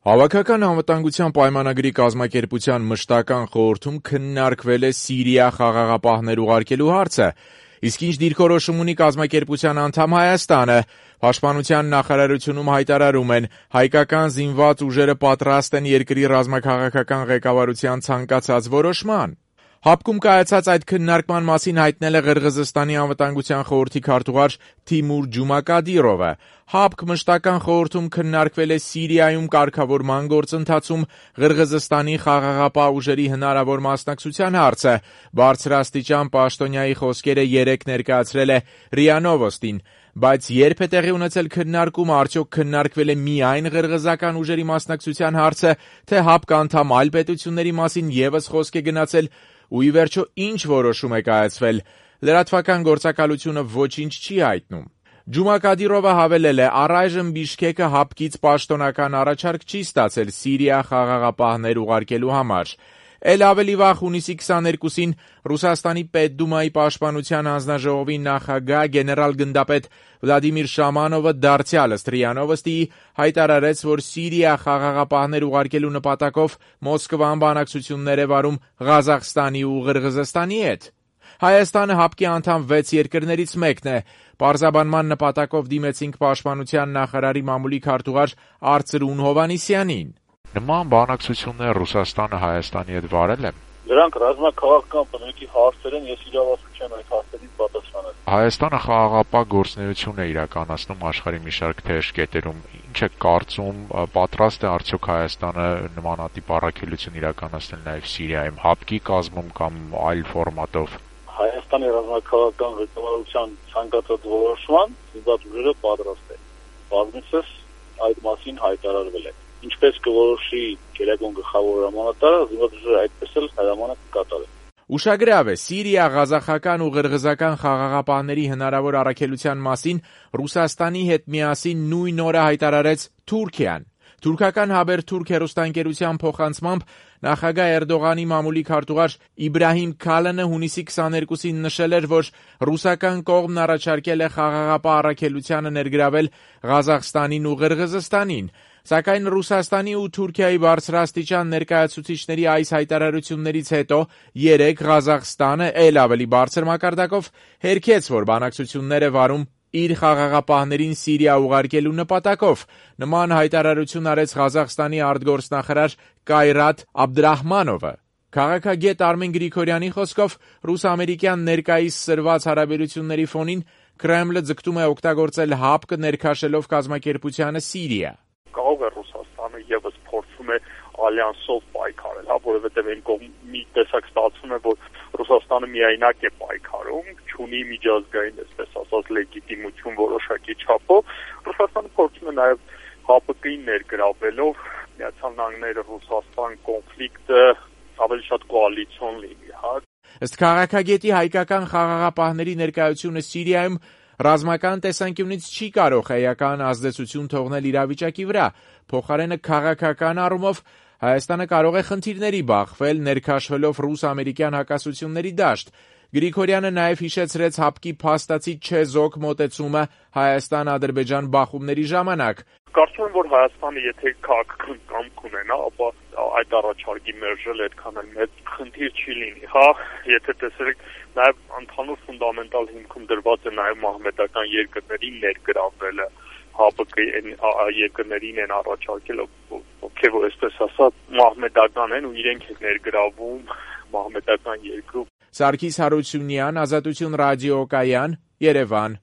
Հավաքական անվտանգության պայմանագրի կազմակերպության մշտական խորհրդում քննարկվել է Սիրիա խաղաղապահներ ուղարկելու հարցը, իսկ ինչ դիրքորոշում ունի կազմակերպության անդամ Հայաստանը, Պաշտպանության նախարարությունում հայտարարում են, հայկական զինված ուժերը պատրաստ են երկրի ռազմաքաղաքական ղեկավարության ցանկացած որոշման։ ՀԱՊԿ-ում կայացած այդ քննարկման մասին հայտնել է Ղրղըզստանի անվտանգության խորհրդի քարտուղար Թիմուր Ջումակադիրովը։ ՀԱՊԿ մշտական խորհրդում քննարկվել է Սիրիայում կարգավորման գործընթացում Ղրղըզստանի խաղաղապահ ուժերի հնարավոր մասնակցության հարցը։ Բարձրաստիճան պաշտոնյայի խոսքերը երեկ ներկայացրել է ՌԻԱ Նովոստին։ Բայց երբ է տեղի ունեցել քննարկումը, արդյոք քննարկվել է միայն ղրղըզական ուժերի մասնակցության հարցը, թե ՀԱՊԿ անդամ այլ պետությունների մասին ևս խոսք է գնացել, ու ի վերջո ինչ որոշում է կայացվել։ Լրատվական գործակալությունը ոչինչ չի հայտնում։ Ջումակադիրովը հավելել է, առայժմ Բիշքեկը ՀԱՊԿ-ից պաշտոնական առաջարկ չի ստացել Սիրիա խաղաղապահներ ուղարկելու համար։ Էլ ավելի վաղ հունիսի 22-ին Ռուսաստանի Պետդումայի պաշտպանության հանձնաժողովի նախագահ գեներալ-գնդապետ Վլադիմիր Շամանովը դարձյալս ՌԻԱ Նովոստիի հայտարարեց, որ Սիրիա խաղաղապահներ ուղարկելու նպատակով Մոսկվան բանակցություններ է վարում Ղազախստանի ու Ղրղըզստանի հետ։ Հայաստանը ՀԱՊԿ-ի անդամ 6 երկրներից մեկն է։ Պարզաբանման նպատակով դիմեցինք պաշտպանության նախարարի մամուլի քարտուղար Արծրուն Հովհաննիսյանին։ Նման բանակցություններ Ռուսաստանը Հայաստանի հետ վարել է։ Դրանք ռազմաքաղաքական բնույթի հարցեր են, ես իրավասու չեմ այդ հարցերին պատասխանել։ Հայաստանը խաղաղապահ գործունեություն է իրականացնում աշխարհի մի շարք թեժ կետերում։ Ինչ է կարծում, պատրաստ է արդյոք Հայաստանը նմանատիպ առաքելություն իրականացնել նաև Սիրիայում, ՀԱՊԿ-ի կազմում կամ այլ ֆորմատով։ Հայաստանի ռազմաքաղաքական ղեկավարության ցանկացած որոշման զինված ուժերը պատրաստ են։ Բազմիցս այդ մասին հայտարարվել է։ Ինչպես կորոշի գերագույն գլխավոր հրամանատարը, զինված ուժերը այդպես էլ հրամանը կկատարեն։ Ուշագրավ է, Սիրիա, ղազախական ու ղրղըզական խաղաղապահների հնարավոր առաքելության մասին Ռուսաստանի հետ միասին նույն օրը հայտարարեց Թուրքիան։ Թուրքական Հաբերթուրք հեռուստաընկերության փոխանցմամբ նախագահ Էրդողանի մամուլի քարտուղար Իբրահիմ Քալանը հունիսի 22-ին նշել էր, որ ռուսական կողմն առաջարկել է խաղաղապահ առաքելությանը ներգրավել Ղազախստանին ու Ղրղըզստանին։ Սակայն Ռուսաստանի ու Թուրքիայի բարձրաստիճան ներկայացուցիչների այս հայտարարություններից հետո երեկ Ղազախստանը էլ ավելի բարձր մակարդակով հերքեց, որ բանակցություններ է վարում իր խաղաղապահներին Սիրիա ուղարկելու նպատակով։ Նման հայտարարություն արեց Ղազախստանի արտգործնախարար Կայրատ Աբդրահմանովը։ Քաղաքագետ Արմեն Գրիգորյանի խոսքով ռուս-ամերիկյան ներկայիս սրված հարաբերությունների ֆոնին Կրեմլը ձգտում է օգտագործել ՀԱՊԿ ներքաշելով կազմակերպությանը Սիրիա։ Կարող է Ռուսաստանը եւս փորձում է ալյանսով պայքարել, որովհետեւ այն կողմի տեսակ ստացվում է, որ Ռուսաստանը միայնակ է պայքարում, չունի միջազգային, այսպես ասած, լեգիտիմություն որոշակի չափով։ Ռուսաստանը փորձում է նաեւ ՀԱՊԿ-ին ներգրավելով Միացյալ Նահանգները Ռուսաստան կոնֆլիկտը ավելի շատ կոալիցիոն լինի, Ըստ քաղաքագետի հայկական խաղաղապահների ներկայությունը Սիրիայում ռազմական տեսանկյունից չի կարող էական ազդեցություն թողնել իրավիճակի վրա, փոխարենը քաղաքական առումով Հայաստանը կարող է խնդիրների բախվել, ներքաշվելով ռուս-ամերիկյան հակասությունների դաշտ։ Գրիգորյանը նաև հիշեցրեց ՀԱՊԿ-ի փաստացի չեզոք մոտեցումը Հայաստան-Ադրբեջան բախումների ժամանակ։ Կարծում եմ, որ Հայաստանը եթե քաղաքական կամք ունենա, ապա այդ առաջարկի մերժել այդքան էլ մեծ խնդիր չի լինի, եթե տեսեք, նաև ընդհանուր ֆունդամենտալ հիմքում դրված է նաև մահմեդական երկրների ներգրավելը, ՀԱՊԿ-ի երկրներին են առաջարկել, ովքեր որ այսպես ասած մահմեդական են ու իրենք են ներգրավում մահմեդական երկրում։ Սարգիս Հարությունյան, Ազատություն ռադիոկայան, Երևան։